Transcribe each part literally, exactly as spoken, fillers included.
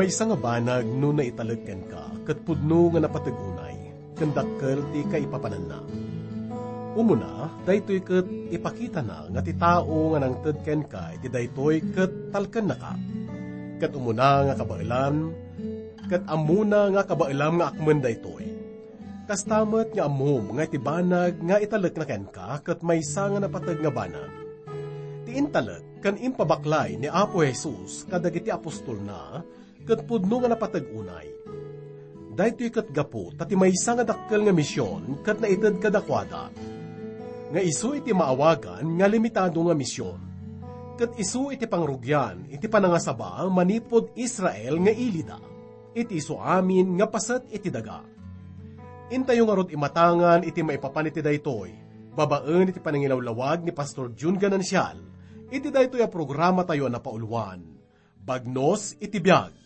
Maysa nga banag no naitalek kenka ket pudno nga napateg unay, ken dakkel ti kaipapananna. Umuna, daytoy ket ipakitana nga ti tao nga nangted kenka iti daytoy ket talkennaka. Ket umuna nga kabaelan, ket ammona nga kabaelam nga akmen daytoy. Kasta met nga ammom nga iti banag nga italekna kenka ket maysa nga napateg nga banag. Ti intalek ken impabaklay ni Apo Jesus kadagiti apostolna ket pudno nga napateg unay. Daytoy ket gapu ta ti maysa nga dakkel nga mision ket naited kadakuada, nga isu iti maawagan nga limitado nga mision, ket isu iti pangrugian iti panangasaba manipud Israel nga ilida, iti isu amin nga paset iti daga. Intayo ngarud imatangan iti maipapan iti daytoy, babaen iti panangilawlawag ni Pastor Jun Ganancial, iti daytoy a programatayo a napauluan, Bagnos iti Biag.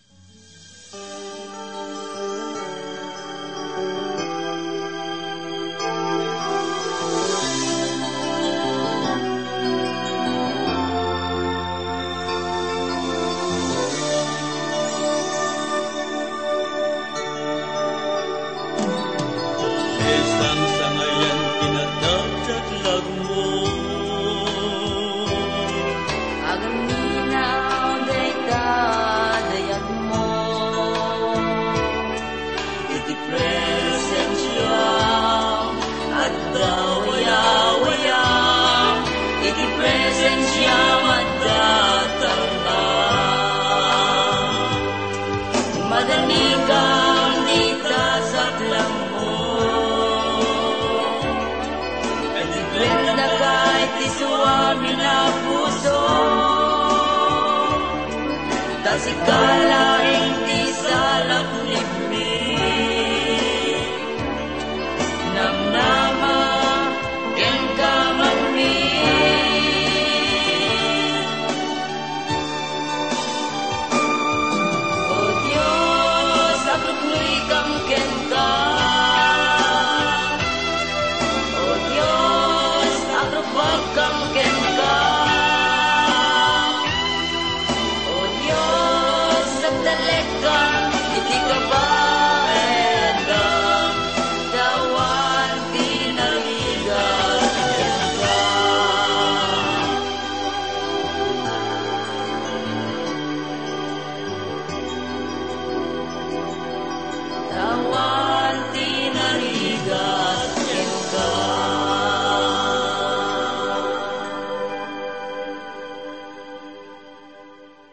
Sangayan pinatagtaklag mo. Agamina dayta dayag mo. Iti presensiam, adda wayawaya. Iti presensiam, adda talna. Madanigan dita saklang mo. Ket iplendaka iti suamin a puso. Ta sika laeng ti salaknibmi. Namnama kenka manmi. O Dios, agruknoykam kenka. O Dios, agrupagkam kenka. O Dios, agtalekam iti kabaelam, ta awan ti narigat kenka. Awan ti narigat kenka.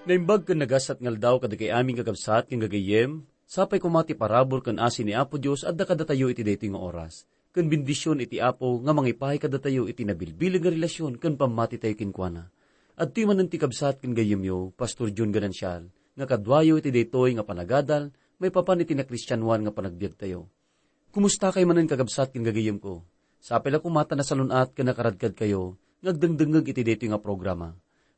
Naimbag ken nagasat nga aldaw kadagiti amin nga kabsat ken gagayyem, sapay koma ti parabur ken asi ni Apo Dios adda kadatayo iti daytoy nga oras. Ken bendision iti Apo nga mangipaay kadatayo iti nabilbileg nga relasyon ken pammatitayo kenkuana. Adtoy manen ti kabsat ken gayyemyo, Pastor John Ganancial, nga kaduayo iti daytoy nga panagadal maipapan iti nakristianoan nga panagbiagtayo. Kumustakay manen, kakabsat ken gagayyemko? Sapay la koma ta nasalun-at ken nakaradkadkayo nga agdengdengngeg iti daytoy nga programa.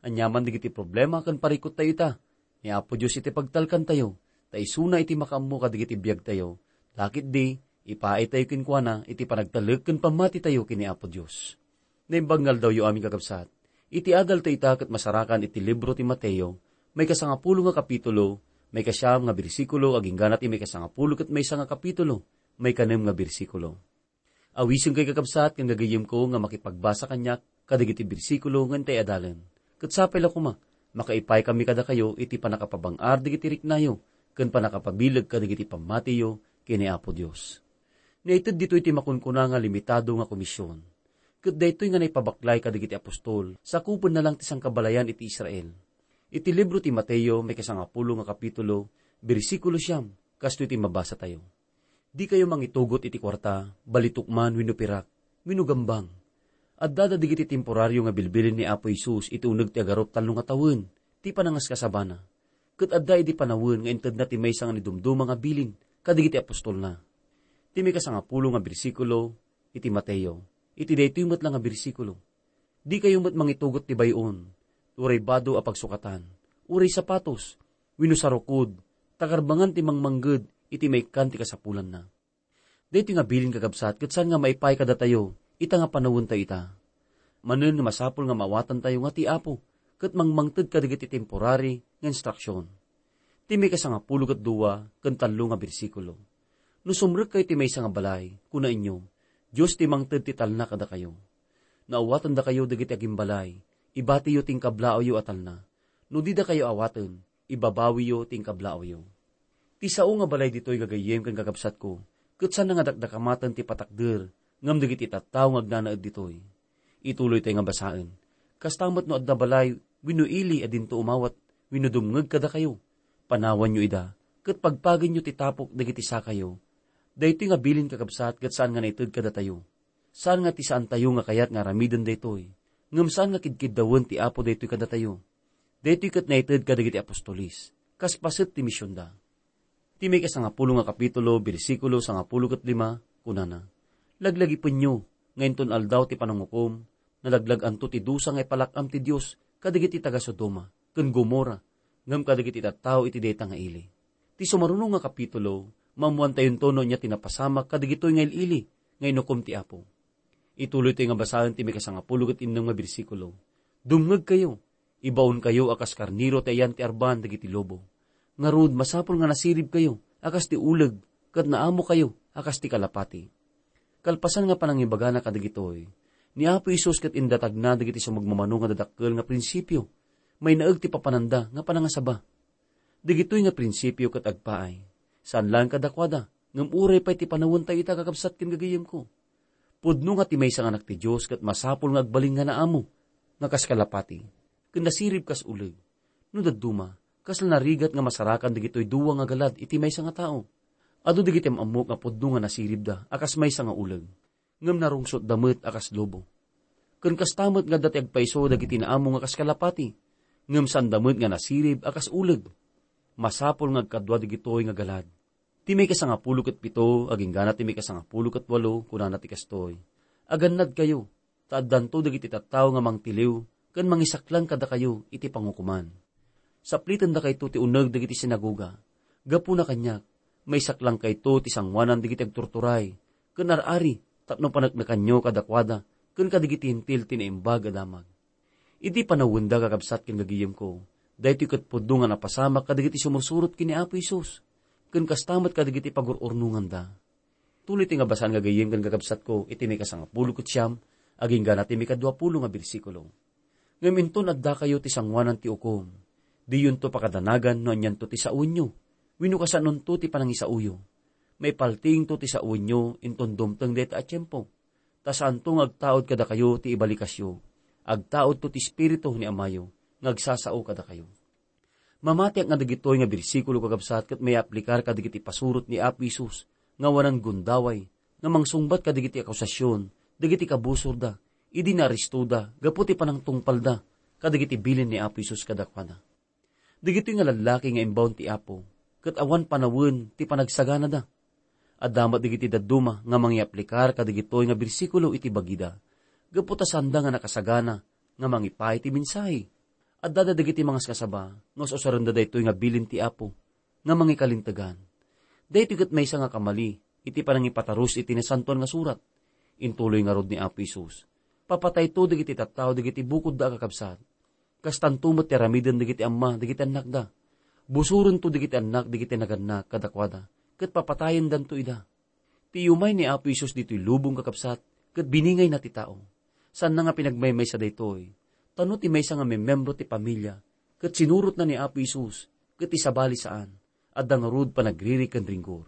Aniaman dagiti problema ken parikuttayo ita, ni Apo Dios iti pagtalkantayo, ta isuna iti makaammo kadagiti biagtayo. Ta ketdi, ipaaytayo kenkuana iti panagtalek ken pammatitayo ken ni Apo Dios. Naimbag nga aldawyo, amin kakabsat. Iti adaltayo ita ket masarakan iti libro ti Mateo, maikasangapulo nga kapitulo, maikasiam nga bersikulo, agingga ti maikasangapulo ket maysa nga kapitulo, maikanem nga bersikulo. Awisenkayo, kakabsat ken gagayyemko, nga makipagbasa kaniak kadagiti bersikulo nga intay adalen. Ket sapay la koma, makaipaykami kadakayo iti pannakapabang-ar dagiti riknayo ken pannakapabileg kadagiti pammatiyo ken ni Apo Dios. Naited ditoy ti makunkuna nga limitado nga komisyon. Ket daytoy nga naipabaklay kadagiti apostol, sakupenna lang ti sangkabalayan iti Israel. Iti libro ti Mateo, maikasangapulo nga kapitulo, bersikulo siam, kastoy ti mabasatayo. Dikayo mangitugot iti kuarta, balitok man wenno pirak, wenno gambang. Adda dagiti temporario nga bilbilin ni Apo Jesus iti uneg ti agarup tallo nga tawen, ti panangaskasabana. Ket adda idi panawen nga intedna ti maysa nga nidumduma nga bilin kadagiti apostolna. Ti maikasangapulo nga bersikulo iti Mateo, iti daytoy met la nga bersikulo. Dikayo met mangitugot ti bay-on, uray bado a pagsukatan, uray sapatos, wenno sarukod, ta karbangan ti mangmangged iti maikkan ti kasapulanna. Daytoy nga bilin, kakabsat, ket saan nga maipaay kadatayo ita nga panawentayo ita. Manen nga masapul nga maawatantayo nga ti Apo ket mangmangted kadagiti temporary nga instruksion. Ti maikasangapulo ket dua ken tallo nga bersikulo. No sumrekkayo ti maysa nga balay, kunaenyo, "Dios ti mangted ti talna kadakayo." No awatendakayo dagiti agimbalay, ibatiyo ti inkablaawyo a talna. No didakayo awaten, ibabawiyo ti inkablaawyo. Ti sao nga balay ditoy gagayyem ken kakabsatko, ket saan nga dakdakamaten ti patakder, ngem dagiti tattao nga agnanaed ditoy. Ituloytayo nga basaen. Kasta met no adda balay wenno ili a dinto umawat wenno dumngeg kadakayo, panawanyo ida, ket pagpagenyo ti tapok dagiti sakayo. Daytoy nga bilin, kakabsat, ket saan nga naited kadatayo. Saan nga ti saantayo nga kayat nga aramiden daytoy, ngem saan nga kidkiddawen ti Apo daytoy kadatayo. Daytoy ket naited kadagiti apostoles, kas paset ti misionda. Ti maikasangapulo nga kapitulo, bersikulo sangapulo ket lima, kunana, "Laglagipenyo nga inton Aldaw ti Panangukom, nalaglag-anto ti dusa nga ipalak-am ti Dios kadagiti taga-Sodoma ken Gomorra ngem kadagiti tattao iti dayta nga ili." Ti sumaruno nga kapitulo, maammoantayonto no ania ti napasamak kadagitoy nga il-ili nga inukom ti Apo. Ituloytayo nga basaen ti maikasangapulo ket innem nga bersikulo, "Dumngegkayo, ibaonkayo a kas karnero ti ayan ti arban dagiti lobo. Ngarud, masapul nga nasiribkayo a kas ti uleg ket naamokayo a kas ti kalapati." Kalpasan nga panangibagana kadagitoy, ni Apo Jesus ket indatagna dagiti sumagmamano nga dadakkel nga prinsipio. Mainaeg ti papananda nga panangasaba. Dagitoy nga prinsipio ket agpaay, saan laeng kadakuada, ngem uray pay ti panawentayo ita, kakabsat ken gagayyemko. Pudno nga ti maysa nga anak ti Dios ket masapul nga agbalin nga naamo, nga kas kalapati, ken nasirib kas uleg. No dadduma, kasla narigat nga masarakan dagitoy dua nga galad iti maysa nga tao. Adu dagiti am-ammok nga pudno nga nasiribda a kas maysa nga uleg, ngem narungsotda met a kas lobo. Ken kasta met nga adda ti agpayso dagiti naamo nga kas kalapati, ngem saanda met nga nasirib a kas uleg. Masapul nga agkadua dagitoy nga galad. Ti maikasangapulo ket pito, agingga na ti maikasangapulo ket walo, kunana ti kastoy, "Agannadkayo, ta addanto dagiti tattao nga mangtiliw ken mangisaklang kadakayo iti pangukoman. Saplitendakayto ti uneg dagiti sinagoga. Gapuna kaniak, maisaklangkayto ti sangoanan dagiti agturturay ken ar-ari tapno paneknekanyo kadakuada ken kadagiti Hentil ti Naimbag a Damag." Iti panawenda, kakabsat ken gagayyemko, daytoy ket pudno nga napasamak kadagiti sumursurot ken ni Apo Jesus, ken kasta met kadagiti pagur-urnonganda. Tuloy ti nga basaan, gagayyem ken kakabsatko, iti maikasangapulo ket siam, agingga na ti maikaduapulo nga bersikulo. Ngem inton addakayo ti sangoanan ti ukom, diyonto pakadanagan no anianto ti sawenyo, wenno kasanonto ti panangisaoyo. Maipaltiingto ti sawenyo inton dumteng dayta a tiempo, ta saanto nga agtaud kadakayo ti ibalikasyo. Agtaudto ti Espiritu ni Amayo nga agsasao kadakayo. Mamatiak nga dagitoy nga bersikulo, kakabsat, ket mayaaplikar kadagiti pasurot ni Apo Jesus nga awanan gundaway nga mangsungbat kadagiti akusasion dagiti kabusorda idi naarestoda gapu ti panangtungpalda kadagiti bilin ni Apo Jesus kadakuada. Dagitoy nga lallaki nga imbaon ti Apo, ket awan panawen ti panagsaganada. Adda met dagiti dadduma nga mangiaplikar kadagitoy nga bersikulo iti bagida, gapu ta saanda nga nakasagana nga mangipaay ti mensahe. Addada dagiti mangaskasaba nga us-usarenda daytoy nga bilin ti Apo nga mangikalintegan. Daytoy ket maysa nga kamali iti panangipatarus iti Nasantoan nga Surat. Intuloy ngarud ni Apo Jesus, "Papatayto dagiti tattao dagiti bukodda a kakabsat. Kastanto met ti aramiden dagiti amma dagiti annakda. Busorento dagiti annak dagiti nagannak kadakuada, ket papatayendanto ida." Ti umay ni Apo Jesus ditoy lubong, kakabsat, ket biningayna ti tao. Saanna nga pinagmaymaysa daytoy, ta no ti maysa nga memmembro ti pamilia ket sinurotna ni Apo Jesus ket ti sabali saan, adda ngarud panagriri ken ringgor.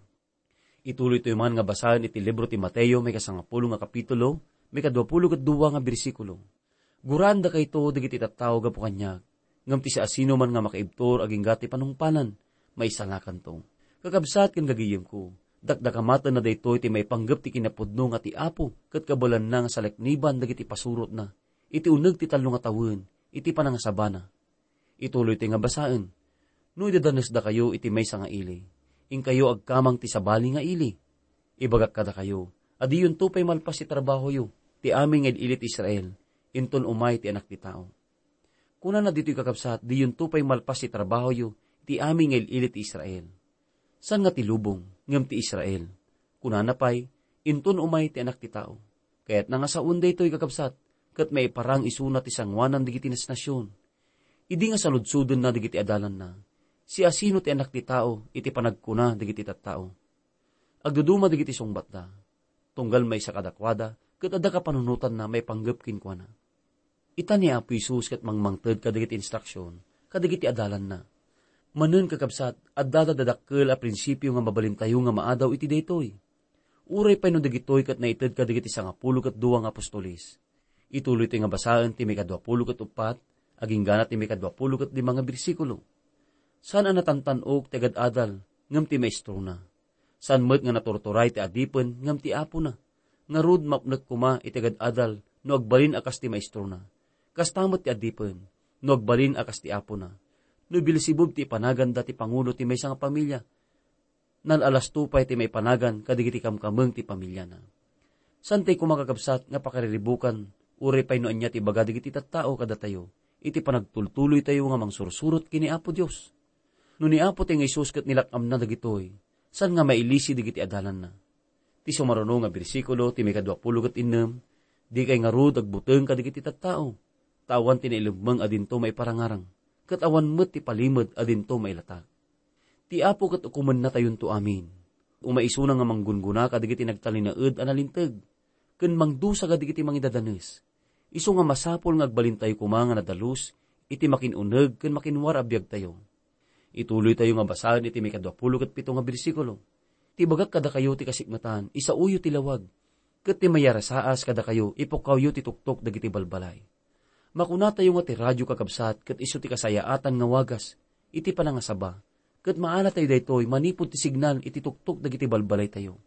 Ituloytayo man nga basaen iti libro ti Mateo, maikasangapulo nga kapitulo, maikaduapulo ket dua nga bersikulo. "Guraendakayto dagiti tattao gapu kaniak, ngem ti siasinoman nga makaibtur agingga ti panungpalan, maisalakanto." Kakabsat ken gagayyemko, dakdakamatenna daytoy ti maipanggep ti kinapudno nga ti Apo ket kabaelanna nga salekniban dagiti pasurotna iti uneg ti tallo nga tawen iti panangasabana. Ituloytayo nga basaen, "No idadanesdakayo iti maysa nga ili, inkayo agkamang ti sabali nga ili. Ibagak kadakayo a diyonto pay malpas ti trabahoyo ti amin nga il-ili ti Israel, inton umay ti Anak ti Tao." Kunana ditoy, kakabsat, "Diyonto pay malpas ti trabahoyo ti amin nga il-ili ti Israel." Saan nga ti lubong, ngem ti Israel. Kunana pay, "Inton umay ti Anak ti Tao." Kayatna nga sawen daytoy, kakabsat, ket maiparang isuna ti sangoanan dagiti nasnasion. Idi nga saludsodenna dagiti adalanna, Siasino ti Anak ti Tao iti panagkuna dagiti tattao? Agduduma dagiti sungbatda. Tunggal maysa kadakuada, ket adda kapanunotanna maipanggep kenkuana. Ita ni Apo Jesus ket mangmangted kadagiti instruksion, kadagiti adalanna. Manen, kakabsat, adda dadakkel a prinsipio nga mabalintayo nga maadaw iti daytoy. Uray pay no dagitoy ket naited kadagiti sangapulo ket dua nga apostoles. Ituloytoy nga basaen ti maikadua pulo ket uppat, aginggana ti maikadua pulo ket lima nga bersikulo. Saan a natantan-ok ti agad-adal, ngem ti maestrona. Saan met nga naturturay ti adipen ngem ti apona. Ngarud, mapnek koma iti agad-adal no agbalin a kas ti maestrona. Kasta met ti adipen no agbalin a kas ti apona. No Beelzebub ti ipanaganda ti pangulo ti maysa nga pamilia, nal-alasto pay ti maipanagan kadagiti kamkameng ti pamiliana. Saan tay koma, kakabsat, nga pakariribukan, uray pay no ania ti ibaga dagiti tattao kadatayo, iti panagtultuloytayo nga mangsursurot ken ni Apo Dios. No ni Apo ti nga Jesus ket nilak-amna dagitoy, saan nga mailisi dagiti adalanna? Ti sumaruno nga bersikulo ti maikadua pulo ket innem, dikay ngarud agbuteng kadagiti tattao, ta awan ti nailemmeng a dinto maiparangarang, ket awan met ti palimed a dinto mailatak. Ti Apo ket ukomennatayonto amin. Umaisuna nga manggungguna kadagiti nagtalinaed a nalinteg, ken mangdusa kadagiti mangidadanes. Isu nga masapul nga agbalintayo koma nga nadalus iti makin-uneg ken makinwar a biagtayo. Ituloytayo nga basaen iti maikadua pulo ket pito nga bersikulo. Ti ibagak kadakayo ti kasikmetan, isaoyo ti lawag, ket ti mayarasaas kadakayo, ipukkawyo ti tuktok dagiti balbalay. Makunatayo nga ti radio, kakabsat, ket isu ti kasayaatan nga wagas iti panangasaba, ket maalatayo daytoy manipud ti signal iti tuktok dagiti balbalaytayo.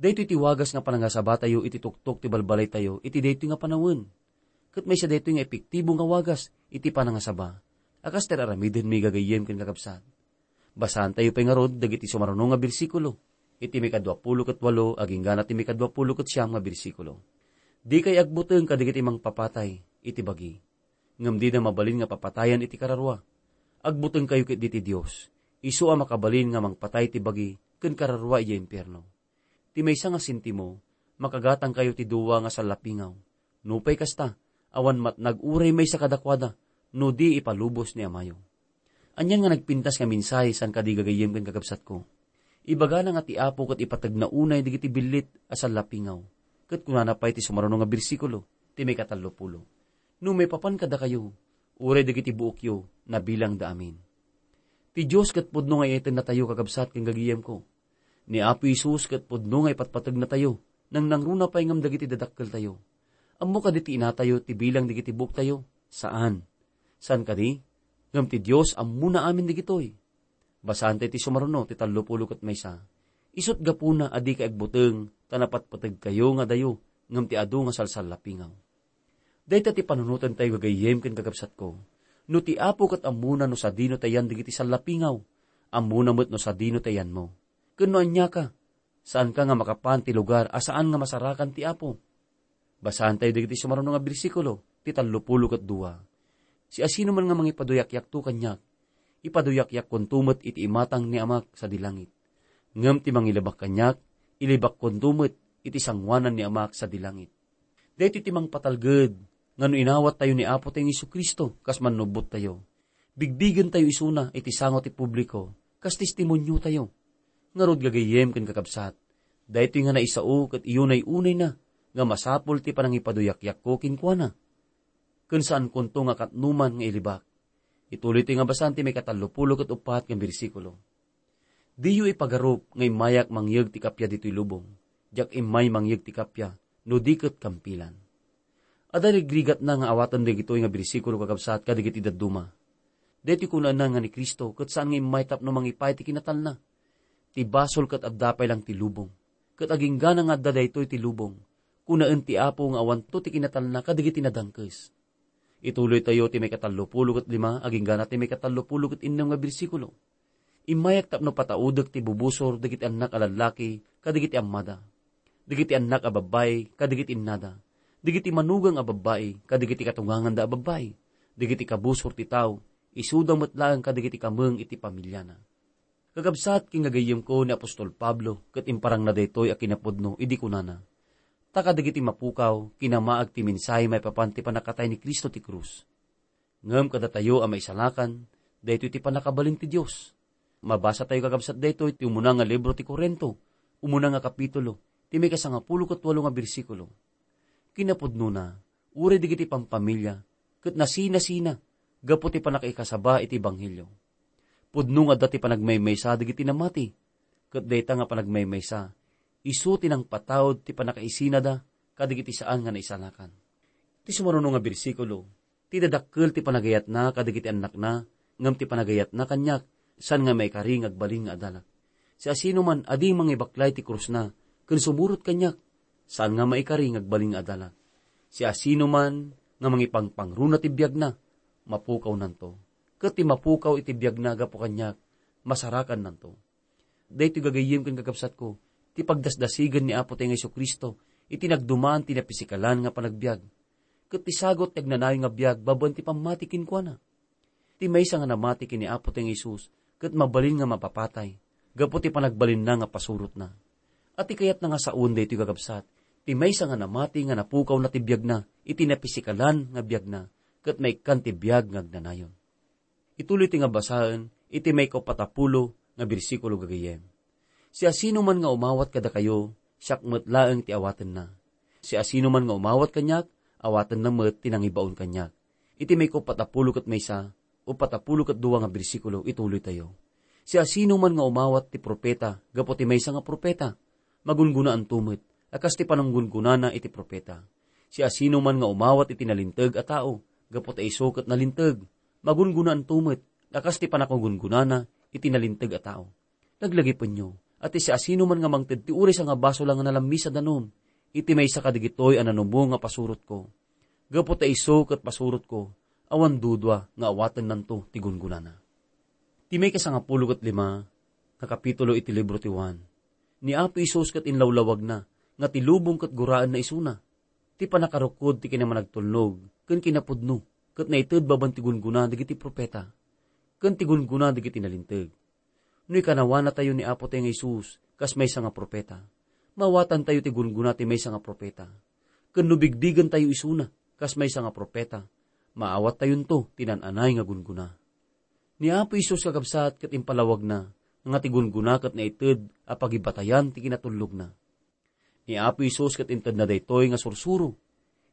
Daytoy ti wagas nga panangasabatayo iti tuktok ti balbalaytayo iti daytoy nga panawen. Ket maysa daytoy nga epektibo nga wagas iti panangasaba a kas ti ar-aramidenmi, gagayyem ken kakabsat. Basaantayo pay ngarud dagiti sumaruno nga bersikulo, iti maikadua pulo ket walo aginggana ti maikadua pulo ket siam nga bersikulo. Dikay agbuteng kadagiti mangpapatay iti bagi, ngem dida mabalin nga papatayan iti kararua. Agbutengkayo ketdi ti Dios, isu a makabalin nga mangpatay ti bagi ken kararua idiay impierno. Ti maysa nga sentimo, makagatangkayo ti dua nga sallapingaw. Nupay kasta, awan matnag uray maysa kadakuada, no di ipalubos ni Amayo. Anian nga nagpintas nga mensahe saan kadi, gagayyem ken kakabsatko? Ibagana nga ti Apo ket ipategna unay dagiti billit a sallapingaw. Ket kunana pay ti sumaruno nga bersikulo, ti maikatallopulo, "No maipapan kadakayo, uray dagiti buokyo, nabilangda amin." Ti Dios ket pudno nga iyatennatayo, kakabsat ken gagayyemko. Ni Apo Jesus ket pudno nga ipatpategnatayo, nangnangruna pay ngem dagiti dadakkeltayo. Ammo kadi ti inatayo ti bilang dagiti buoktayo? Saan. Saan kadi? Ngem ti Dios ammona amin dagitoy. Basaantayo ti sumaruno ti tallopulo ket maysa. Isut' gapuna a dikay agbuteng ta napatpategkayo nga adayo ngem ti adu nga salsallapingaw. Dayta ti panunotantayo, gagayyem ken kakabsatko. No ti Apo ket ammona no sadino ti ayan dagiti sallapingaw, ammona met no sadino ti ayanmo. Ken no aniaka, saanka nga makapan ti lugar a saan nga masarakan ti Apo. Basaantayo dagiti sumaruno nga bersikulo, ti tallopulo ket dua. Siasinoman nga mangipaduyakyakto kaniak, ipaduyakyakkonto met iti imatang ni Amak sadi langit. Ngem ti mangilibak kaniak, ilibakkonto met iti sangoanan ni Amak sadi langit. Daytoy ti mangpatalged nga no inawattayo ni Apotayo nga Jesu-Cristo kas Mannubbottayo, bigbigentayo isuna iti sango ti publiko kas testimoniotayo. Ngarud, gagayyem ken kakabsat, daytoy nga naisao ket iyunay-unayna nga masapul ti panangipaduyakyakko kenkuana. Ken saankonto nga katnoman nga ilibak. Ituloytoy nga basan ti maikatallopulo ket uppat nga bersikulo. Diyo ipagarup nga immayak mangyeg ti kappia ditoy lubong. Diak immay mangyeg ti kappia no di ket kampilan. Adda rigrigatna nga awaten dagitoy nga bersikulo, kakabsat, kadagiti dadduma. Daytoy kunaenna nga ni Cristo ket saan nga immay tapno mangipay ti kinatalna. Ti basol ket adda pay lang ti lubong. Ket aginggana nga adda daytoy ti lubong, kunaen ti Apo nga awanto ti kinatalna kadagiti nadangkes. Ituloytayo ti maikatallopulo ket lima aginggana ti maikatallopulo ket innem nga bersikulo. Immayak tapno pataudek ti bubusor dagiti annak a lallaki kadagiti ammada, dagiti annak a babbai kadagiti innada, dagiti manugang a babbai kadagiti katunganganda a babbai, dagiti kabusor ti tao, isuda met laeng kadagiti kameng iti pamiliana. Kakabsat ken gagayyemko, ni apostol Pablo ket imparangna daytoy a kinapudno idi kunana, "Ta kadagiti mapukaw, kinamaag ti mensahe maipapan ti pannakatay ni Cristo ti krus. Ngem kadatayo a maisalakan, Daytoy ti pannakabalin ti Dios. Mabasatayo kakabsat daytoy ti umuna nga libro ti Corinto, umuna nga kapitulo, ti maikasangapulo ket walo nga bersikulo. Kinapudnona, uray dagiti pampamilya, ket nasinasina gapu ti pannakaikasaba iti ebanghelio. Pudno nga adda ti panagmaymaysa dagiti namati, ket dayta nga panagmaymaysa, isu ti nangpataud ti pannakaisinada kadagiti saan nga naisalakan. Ti sumaruno nga bersikulo, ti dadakkel ti panagayatna kadagiti annakna, ngem ti panagayatna kaniak, saan nga maikari nga agbalin nga adalak. Siasinoman a di mangibaklay ti krusna, ken sumurot kaniak, saan nga maikari nga agbalin nga adalak. Siasinoman nga mangipangpangruna ti biagna, mapukawnanto. Ket ti mapukaw iti biagna gapu kaniak, masarakannanto. Daytoy gagayyem ken kakabsatko, ti pagdasdasigen ni Apotayo nga Jesu-Cristo iti nagduman ti napisikalan nga panagbiag, ket ti sagut ti agnanayon nga biag babaen ti pammati kenkuana. Ti maysa nga namati ken ni Apotayo nga Jesus ket mabalin nga mapapatay gapu ti panagbalinna nga pasurotna. Ati kayatna nga saoen daytoy, kakabsat, ti maysa nga namati nga napukawna ti biagna iti napisikalan nga biagna ket maikkan ti biag nga agnanayon. Ituloy ti nga basaen iti maikaupatapulo nga bersikulo gagayyem. Siasinoman nga umawat kadakayo, siak met laeng ti awatenna. Siasinoman nga umawat kaniak, awatenna met ti nangibaon kaniak. Iti maikaupatapulo ket maysa, upatapulo ket dua nga bersikulo, ituloytayo. Siasinoman nga umawat ti profeta gapu ti maysa nga profeta, magungunaanto met a kas ti pananggungunana iti profeta. Siasinoman nga umawat iti nalinteg a tao gapu ta isu ket nalinteg, magungunaanto met a kas ti panakagungunana iti nalinteg a tao. Laglagipenyo a ti siasinoman nga mangted ti uray sangabasol a nga nalammisa danum iti maysa kadagitoy a nanumo nga pasurotko, gapu ta isu ket pasurotko, awan dudua nga awatennanto ti gungunana. Ti maikasangapulo ket lima nga kapitulo iti libro ti Juan. Ni Apo Jesus ket inlawlawagna nga ti lubong ket guraenna isuna. Ti pannakarukkod ti kinamanagtulnog ken kinapudno ket naited babaen ti gunggona dagiti profeta ken ti gunggona dagiti nalinteg. No ikanawanatayo ni Apotayo nga Jesus kas maysa nga profeta, maawatantayo ti gunggona ti maysa nga profeta. Ken no bigbigentayo isuna kas maysa nga profeta, maawattayonto ti naan-anay nga gunggona. Ni Apo Jesus, kakabsat, ket impalawagna nga ti gunggona ket naited a pagibatayan ti kinatullogna. Ni Apo Jesus ket intedna daytoy nga sursuro.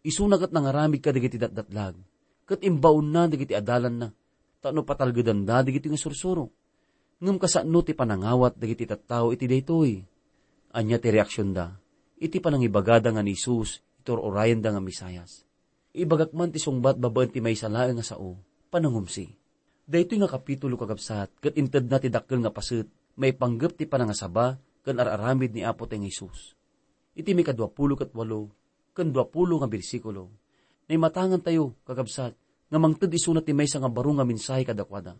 Isuna ket nangaramid kadagiti datdatlag, ket imbaonna dagiti adalanna tapno patalgedanda dagitoy nga sursuro. Ngem kasano ti panangawat dagiti tattao iti daytoy? Ania ti reaksionda iti panangibagada nga ni Jesus iti ur-urayenda nga Mesias? Ibagak man ti sungbat babaen ti maysa laeng nga sao, panangumsi. Daytoy nga kapitulo, kakabsat, ket intedna ti dakkel nga paset maipanggep ti panangasaba ken ar-aramid ni Apotayo nga Jesus. Iti maikaduapulo ket walo ken duapulo nga bersikulo, naimatangantayo, kakabsat, nga mangted isuna ti maysa nga baro nga mensahe kadakuada.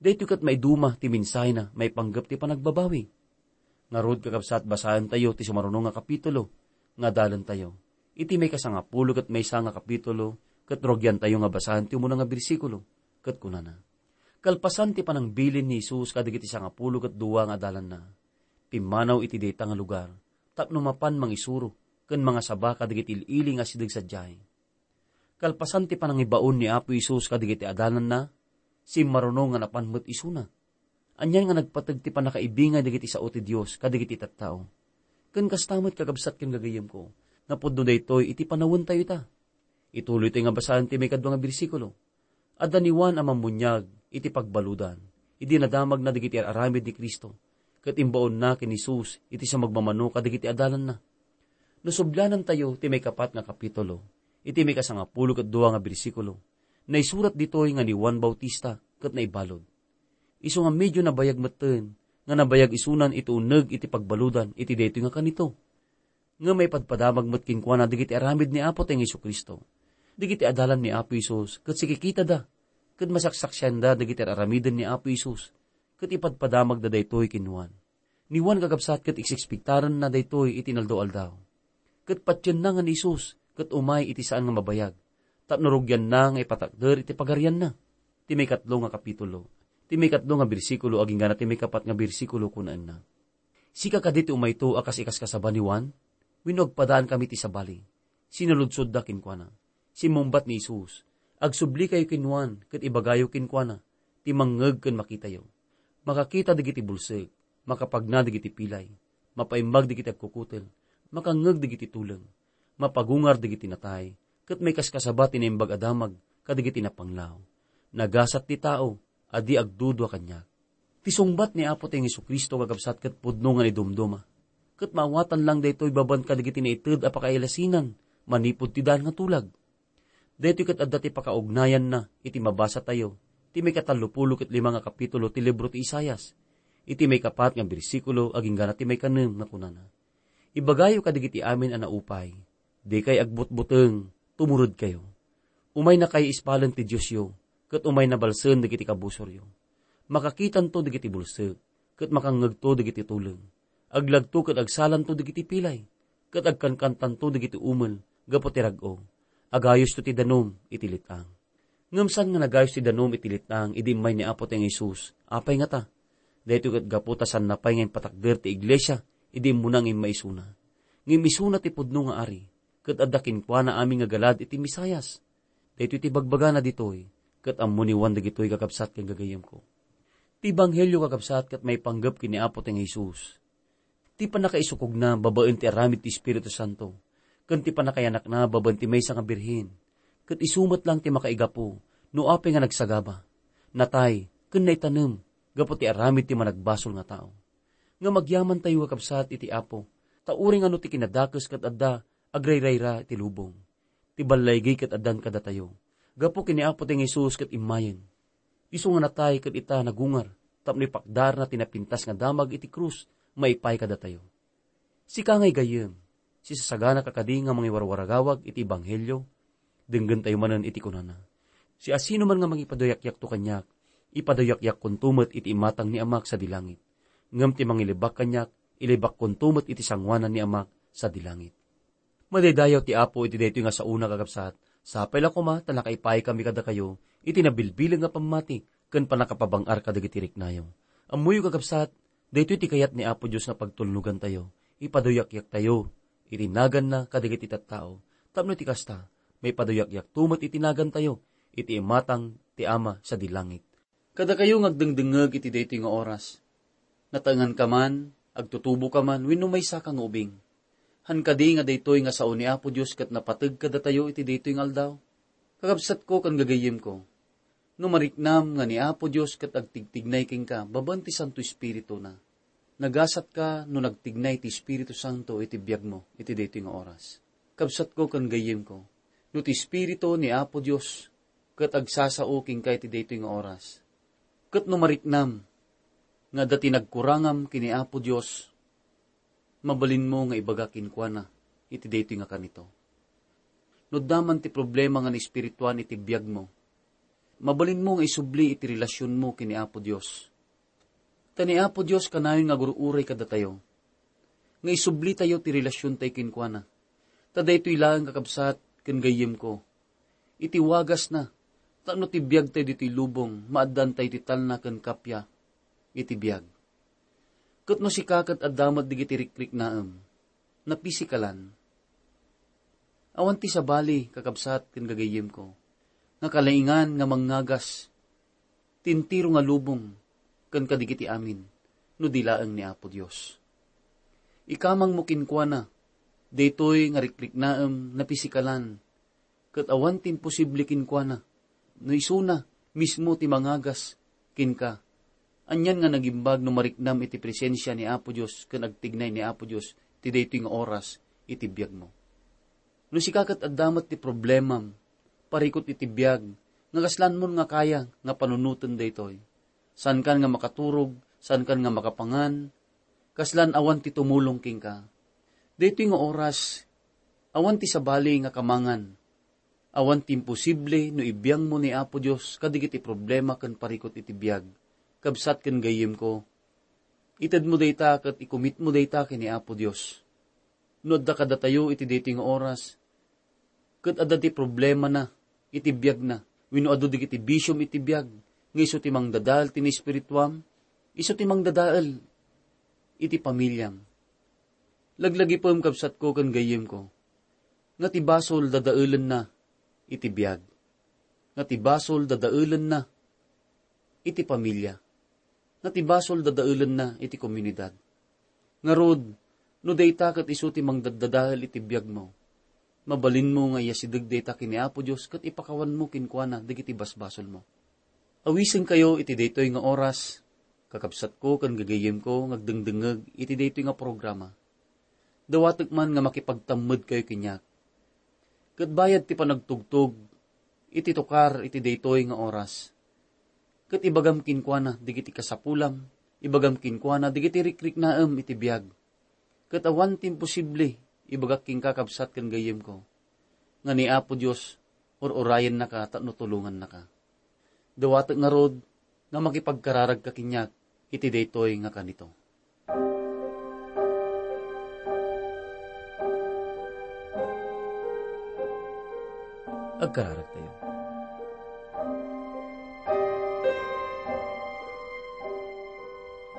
Daytoy ket maiduma ti mensahena maipanggep ti panagbabawi. Ngarud, kakabsat, basaentayo ti sumaruno nga kapitulo nga adalentayo. Iti maikasangapulo ket maysa nga kapitulo, ket rugiantayo nga basaen ti umuna nga bersikulo, ket kunana, "Kalpasan ti panangbilin ni Jesus kadagiti sangapulo ket dua nga adalanna, pimmanaw iti dayta nga lugar tapno mapan mangisuro ken mangasaba kadagiti il-ili nga asideg sadiay." Kalpasan ti panangibaon ni Apo Jesus kadagiti adalanna, simmaruno nga napan met isuna. Anian nga nagpateg ti pannakaibingay dagiti sao ti Dios kadagiti tattao. Ken kasta met, kakabsat ken gagayyemko, nga pudno daytoy iti panawentayo ita. Ituloytayo nga basaen ti maikadua nga bersikulo. Adda ni Juan a Mammuniag iti pagbaludan, idi nadamagna dagiti ar-aramid ni Cristo, ket imbaonna ken Jesus iti sumagmamano kadagiti adalanna. No sublianantayo ti maikapat nga kapitulo, iti maikasangapulo ket dua nga bersikulo, naisurat ditoy nga ni Juan Bautista ket naibalud. Isu nga medio nabayag metten nga nabayag isunan iti uneg iti pagbaludan iti daytoy nga kanito. Ngem maipadpadamag met kenkuana dagiti aramid ni Apotayo nga Jesu-Cristo. Dagiti adalan ni Apo Jesus ket sikikitada, ket masaksaksianda dagiti ar-aramiden ni Apo Jesus, ket ipadpadamagda daytoy ken Juan. Ni Juan, kakabsat, ket iksiksiktaranna daytoy iti inaldaw-aldaw. Ket patienna nga ni Jesus ket umay iti saan nga mabayag, tapno rugianna nga ipatakder iti pagarianna. Ti maikatlo nga kapitulo, ti maikatlo nga bersikulo agingga ti maikapat nga bersikulo, kunaenna, "Sika kadi ti umayto a kas ikaskasaba ni Juan? Wenno agpadaankami ti sabali?" Sinaludsodda kenkuana. Simmungbat ni Jesus, "Agsublikayo ken Juan ket ibagayo kenkuana ti mangngeg ken makitayo. Makakita dagiti bulsek, makapagna dagiti pilay, mapaimbag dagiti agkukutel, makangngeg dagiti tuleng, mapagungar dagiti natay, ket maikaskasaba ti naimbag a damag kadagiti napanglaw. Nagasat ti tao a di agdudua kaniak. Ti sungbat ni Apo Dios Jesu-Cristo, kakabsat, ket pudno nga naidumduma. Ket maawatan lang daytoy babaen kadagiti naited a pakailasinan manipud ti daan nga tulag. Daytoy ket adda ti pakaugnayanna iti mabasatayo, ti maikatallopulo ket lima nga kapitulo ti libro ti Isaias, iti maikapat nga bersikulo agingga ti maikanem nga kunana, "Ibagayo kadagiti amin a naupay, dikay agbutbuteng, tumuredkayo. Umaynakayo ispalen ti Diosyo, ket umayna balsen dagiti kabusoryo. Makakitanto dagiti bulsek, ket makangngegto dagiti tuleng. Aglagto ket agsalanto dagiti pilay, ket agkankantanto dagiti umel gapu ti rag-o. Agayosto ti danum iti let-ang." Ngem saan nga nagayos ti danum iti let-ang idi immay ni Apo Dios nga Jesus? Apay ngata? Daytoy ket gapu ta saanna pay nga impatakder ti iglesia idi immuna nga immaisuna. Ngem isuna ti pudno nga ari, ket adda kenkuana amin nga galad iti Mesias. Daytoy ti bagbagana ditoy, ket ammo ni Juan dagitoy, kakabsat ken gagayyemko. Ti ebanghelio, kakabsat, ket maipanggep ken ni Apo Dios nga Jesus. Ti pannakaisukogna babaen ti aramid ti Espiritu Santo, ken ti pannakayanakna babaen ti maysa nga birhen, ket isu met lang ti makaigapu no apay nga nagsagaba, natay, ken naitanem gapu ti aramid ti managbasol nga tao. Ngem agyamantayo, kakabsat, iti Apo, ta uray nga no ti kinadakes ket adda agrayrayra iti lubong, ti ballaygey ket addan kadatayo. Gapu ken ni Apo Dios nga Jesus ket immayen. Isu nga natay ket ita nagungar tapno ipakdarna ti napintas nga damag iti krus maipaay kadatayo. Sika nga gayyem, sisasaganaka kadi nga mangiwarwaragawag iti ebanghelio? Denggentayo manen iti kunana, "Siasinoman nga mangipaduyakyakto kaniak, ipaduyakyakonto met iti imatang ni Amak sadi langit. Ngem ti mangilibak kaniak, ilibakkonto met iti sangoanan ni Amak sadi langit." Madaydayaw ti Apo iti daytoy nga saona, kakabsat. Sapay la koma ta nakaipaay kami kadakayo iti nabilbilang nga pammati ken pannakapabang-ar kadagiti riknayo. Ammoyo, kakabsat, daytoy ti kayat ni Apo Dios nga pagtulnogantayo, ipaduyakyaktayo iti naganna kadagiti tattao, tapno iti kasta, maipaduyakyakto met iti nagantayo iti imatang ti Ama sadi langit. Kadakayo nga agdengdengngeg iti daytoy nga oras, nataenganka man, agtutuboka man, wenno maysaka nga ubing, han kadi nga daytoy nga sao ni Apo Dios ket napateg kadatayo iti daytoy nga aldaw? Kakabsatko ken gagayyemko, no mariknam nga ni Apo Dios ket agtigtignay kenka babaen ti Santo Espirituna, nagasatka no nagtignay ti Espiritu Santo iti biagmo iti daytoy nga oras. Kabsatko ken gayyemko, no ti Espiritu ni Apo Dios ket agsasao kenka iti daytoy nga oras, ket no mariknam nga adda ti nagkurangam ken ni Apo Dios, mabalinmo nga ibaga kenkuana iti daytoy nga kanito. No adda man ti problema nga naespirituan iti biagmo, mabalinmo nga isubli iti relasionmo ken ni Apo Dios. Ta ni Apo Dios kanayon nga agur-uray kadatayo, nga isublitayo ti relasiontayo kenkuana. Ta daytoy laeng, kakabsat ken gayyemko, iti wagasna, tapno ti biagtayo ditoy lubong, maaddaantayo ti talna ken kappia iti biag. Ket no sika ket adda met dagiti rikriknaem, napisikalan, awan ti sabali, kakabsat ken gagayyemko, nga kalaingan nga mangngagas ti entero nga lubong ken kadagiti amin no di laeng ni Apo Dios. Ikamangmo kenkuana daytoy nga rikriknaem napisikalan, ket awan ti imposible kenkuana no isuna mismo ti mangagas kenka. Anian nga nagimbag no mariknam iti presensia ni Apo Dios ken agtignay ni Apo Dios ti daytoy nga oras iti biagmo. No sika ket adda met ti problemam, parikut iti biag, nga kaslanmon nga kaya nga panunoten daytoy. Saankan nga makaturog, saankan nga makapangan, kaslan awan ti tumulong kenka. Daytoy nga oras, awan ti sabali nga kamangan. Awan ti imposible no ibiangmo ni Apo Dios kadagiti problema ken parikut iti biag. Kabsat ken gayyemko, itedmo dayta ket ikumitmo dayta ken ni Apo Dios. No adda kadatayo iti daytoy nga oras, ket adda ti problemana iti biagna, wenno adu dagiti bisiom iti biag, nga isu ti mangdadael ti naespirituam, isu ti mangdadael iti pamiliam. Laglagipem, kabsatko ken gayyemko, nga ti basol dadaelenna iti biag, nga ti basol dadaelenna iti pamilia, nga ti basol dadaelenna iti komunidad. Ngarud, no dayta ket isu ti mangdaddadael iti biagmo, mabalinmo nga iyasideg dayta ken ni Apo Dios ket ipakawanmo kenkuana dagiti basbasolmo. Awisenkayo iti daytoy nga oras, kakabsatko ken gagayyemko nga agdengdengngeg iti daytoy nga programa. Dawatek man nga makipagtammedkayo kaniak. Ket bayad ti panagtugtog iti tukar iti daytoy nga oras, ket ibagam kenkuana dagiti kasapulam, ibagam kenkuana dagiti rikriknaem iti biag. Ket awan ti imposible, ibagak kenka, kabsat ken gayyemko, nga ni Apo Dios ur-urayennaka tapno tulongannaka. Dawatek ngarud nga makipagkararagka kaniak iti daytoy nga kanito. Agkararagtayo.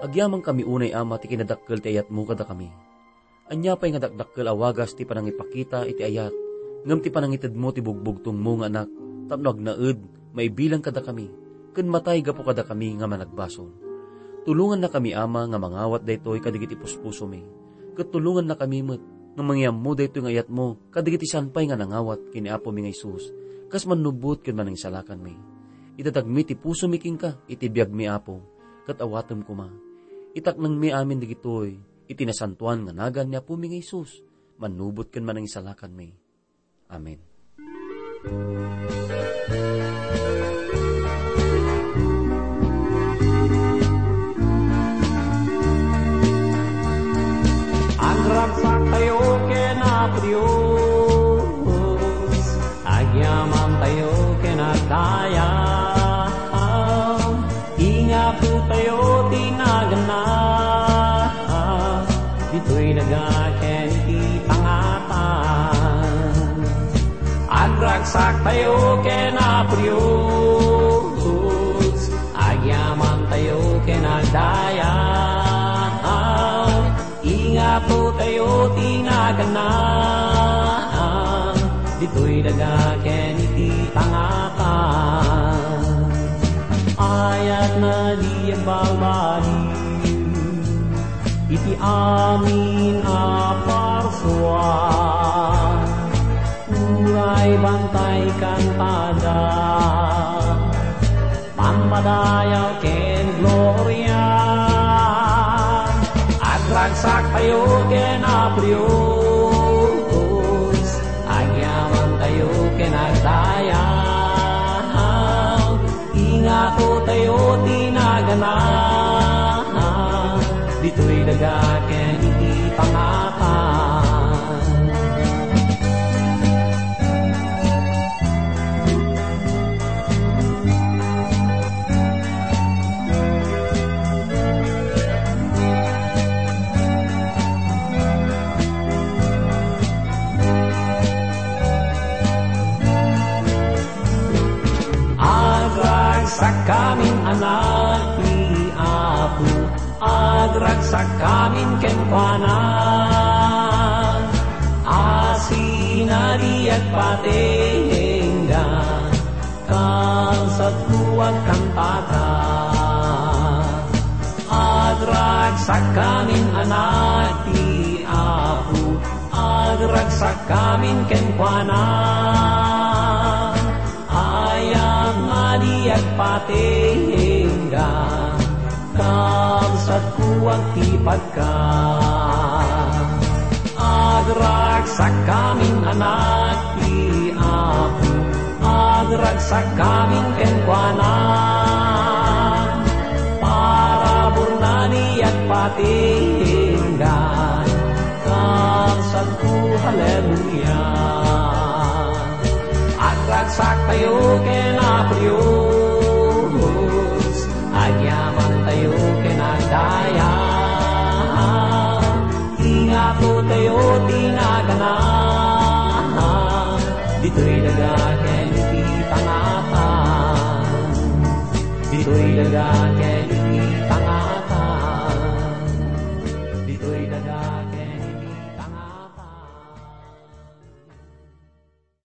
Agyamankami unay, Ama, ti kinadakkel ti ayatmo kadakami. Ania pay nga dakdakkel a wagas ti panangipakita iti ayat, ngem ti panangitedmo ti bugbugtongmo nga Anak, tapno agnaed, maibilang kadakami, ken matay gapu kadakami nga managbasol. Tulongannakami, Ama, nga mangawat daytoy kadagiti puspusomi, ket tulongannakami met nga mangiammo daytoy nga ayatmo kadagiti saan pay nga nangawat ken ni Apomi nga Jesus, kas mannubbot ken manangsalakanmi. Idatagmi ti pusomi kenka iti biagmi, Apo, ket awatem koma. Itaknangmi amin dagitoy iti nasantoan nga nagan ni Apomi nga Jesus, mannubbot ken manangsalakanmi. Amen. Agragsaktayo ken Apo Dios, agyamantayo ken agdayag. Ingapotayo ti naganna, ditoy daga ken iti pangatan. Agragsaktayo ken Apo Dios, agyamantayo ken agdayag. Ingapotayo ti naganna, ditoy daga ken iti pangatan. Ayat na di agbalbaliw iti amin a parsua, uray bantay kantada, pampadayaw ken gloria. Agragsaktayo ken Apo Dios, agyamantayo ken agdayag. Ingapotayo ti naganna, ditoy daga ken iti pangatan. Agragsakkamin, anak ti Apo, agragsakkamin kenkuana. Asin a di agpatengga, kabsatko, agkantaka. Agragsakkamin, anak ti Apo, agragsakkamin kenkuana. Ayat a di agpatengga, kabsatko, agtipatko. Agragsakkamin, anak ti Apo, agragsakkamin kenkuana. Paraburna di agpatengga, kabsatko, haleluya. Agragsaktayo ken Apo Dios, agyamantayo ken agdayag. Ingapotayo ti naganna, ditoy daga ken iti pangatan. Ditoy daga ken